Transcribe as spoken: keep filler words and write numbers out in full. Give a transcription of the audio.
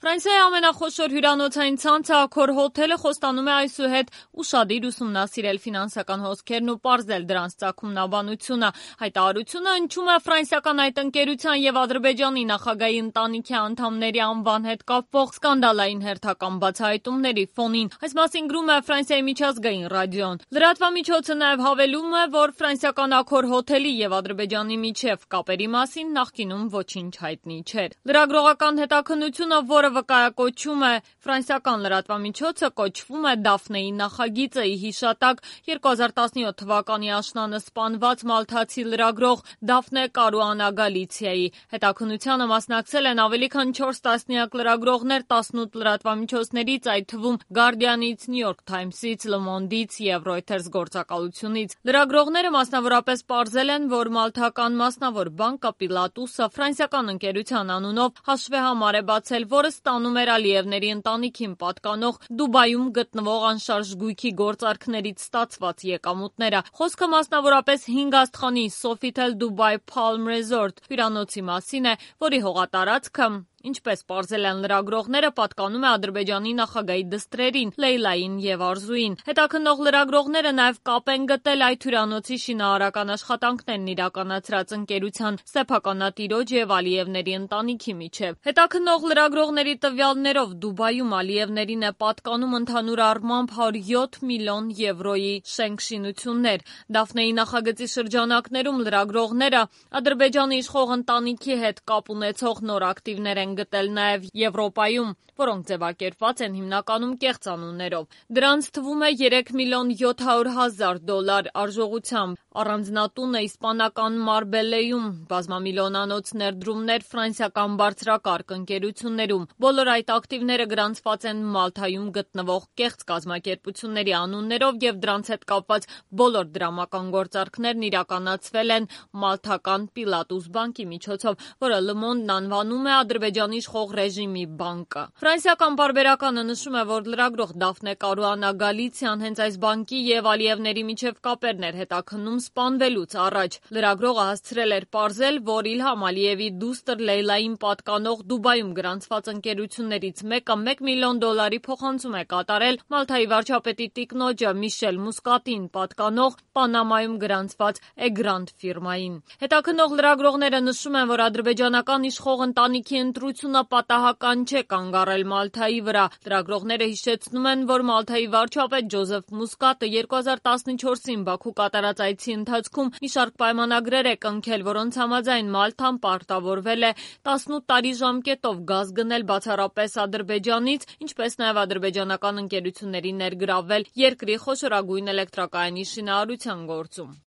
Ֆրանսիայի ամենախոշոր հյուրանոցային ցանցը Accor հոթելը խոստանում է այսուհետ ուշադիր ուսումնասիրել ֆինանսական հոսքերն ու պարզել դրանց ծագումնաբանությունը։ Հայտարարությունը հնչում է ֆրանսիական այդ ընկերության եւ Ադրբեջանի նախագահի ընտանիքի անդամների անվան հետ կապվող սկանդալային հերթական բացահայտումների ֆոնին։ Այս մասին գրում է Ֆրանսիայի միջազգային ռադիոն։ Լրատվամիջոցը նաեւ հավելում է, որ ֆրանսիական Accor հոթելի եւ Ադրբեջանի միջև կապերի մասին նախկինում ոչինչ հայտնի չէր։ Լրագրողական հետաքննությունը, որը վկայակոչում է ֆրանսիական լրատվամիջոցը, կոչվում է Դաֆնեի նախագիծը՝ ի հիշատակ երկու հազար տասնյոթ թվականի աշնանը սպանված մալթացի լրագրող Դաֆնե Կարուանա Գալիցիայի։ Հետաքննությանը մասնակցել են ավելի քան չորս տասնյակ լրագրողներ տասնութ լրատվամիջոցներից, այդ թվում Guardian-ից, New York Times-ից, Le Monde-ից եւ Reuters գործակալությունից։ Լրագրողները մասնավորապես պարզել են, որ մալթական մասնավոր բանկը Պիլատուսը ֆրանսիական ընկերության անունով հաշվեհամար է բացել, որը ստանում էր Ալիևների ընտանիքին պատկանող Դուբայում գտնվող անշարժ գույքի գործարքներից ստացված եկամուտները։ Խոսքը մասնավորապես հինգ աստղանի Sofitel Dubai Palm Resort հյուրանոցի մասին է, որի հողատարածքը, ինչպես պարզել են լրագրողները, պատկանում է Ադրբեջանի նախագահի դստրերին Լեյլային եւ Արզուին։ Հետաքննող լրագրողները նաեւ կապ են գտել այդ հյուրանոցի շինարարական աշխատանքներն իրականացրած ընկերության սեփականատիրոջ եւ Ալիևների ընտանիքի միջև։ Հետաքննող լրագրողների տվյալներով Դուբայում Ալիևներին է պատկանում ընդհանուր առմամբ հարյուր յոթ միլիոն եվրոյի շենքշինություններ։ Դաֆնեի նախագծի շրջանակներում լրագրողները Ադրբեջանի իշխող ընտանիքի հետ կապ ունեցող նոր ակտիվներ են գտել նաև Եվրոպայում, որոնք ձևակերպված են հիմնականում կեղծ անուններով։ Դրանց թվում է երեք միլիոն յոթ հարյուր հազար դոլար արժողությամբ առանձնատունը իսպանական Մարբելեյում, բազմամիլիոնանոց ներդրումներ ֆրանսիական բարձրակարգ ընկերություններում։ Բոլոր այդ ակտիվները գրանցված են Մալթայում գտնվող կեղծ կազմակերպությունների անուններով եւ դրանց հետ կապված բոլոր դրամական գործարքներն իրականացվել են մալթական Պիլատուս բանկի միջոցով, որը Le Monde-ն անվանում է Ադրբեջանի իշխող ռեժիմի բանկը։ Ֆրանսիական պարբերականը նշում է, որ լրագրող Դաֆնե Կարուանա Գալիցիան հենց այս բանկի եւ Ալիևների միջև կապերն էր հետաքննում սպանվելուց առաջ։ Լրագրողը հասցրել էր պարզել, որ Իլհամ Ալիևի դուստր Լեյլային պատկանող Դուբայում գրանցված ընկերություններից մեկը մեկ միլիոն դոլարի փոխանցում է կատարել Մալթայի վարչապետի տիկնոջը Միշել Մուսկատին պատկանող Պանամայում գրանցված Էգրանդ ֆիրմային։ Հետաքննող լրագրողները նշում են, որ ադրբեջանական իշխող ընտանիքի ընտրությունը պատահական չէ կանգ առել Մալթայի վրա։ Լրագրողները հիշեցնում են, որ Մալթայի վարչապետ Ջոզեֆ Մուսկատը երկու հազար տասնչորսին Բաքու կատարած այցի ընթացքում մի շարք պայմանագրեր է կնքել, որոնց համաձայն Մալթան պարտավորվել է տասնութ տարի ժամկետով գազ գնել բացառապես Ադրբեջանից, ինչպես նաև ադրբեջանական ընկերությունների ներգրավվել երկրի խոշորագույն էլեկտրակայանի շինարարության գործում։